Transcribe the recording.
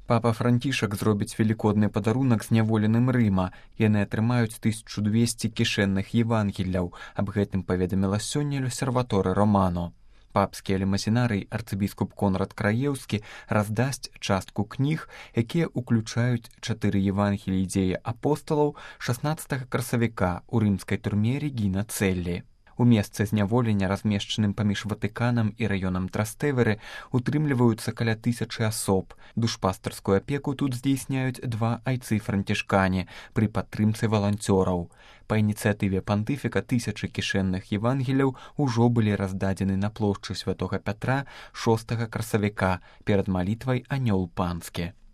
Папа Францішак зробіць велікодны падарунак зняволеным Рыма. Яны атрымаюць 1200 кішэнных евангеляў. Аб гэтым паведаміла сёння L'Osservatore Romano. Папскі алімасінарый арцыбіскуп Конрад Краеўскі раздасць частку кніг, якія ўключаюць 4 евангеліі дзеі апосталаў 16 красавіка ў рымскай турме Регіна Цэллі. У месцы зняволення, размешчаным паміж Ватыканам і раёнам Трастэверы, утрымліваюцца каля 1000 асоб. Душпастарскую апеку тут здзейсняюць 2 айцы-францішкане пры падтрымцы валанцёраў. Па ініцыятыве пантыфіка 1000 кішэнных евангеляў ужо былі раздадзены на плошчы святога Пятра 6 красавіка перад малітвай Анёл Панскі.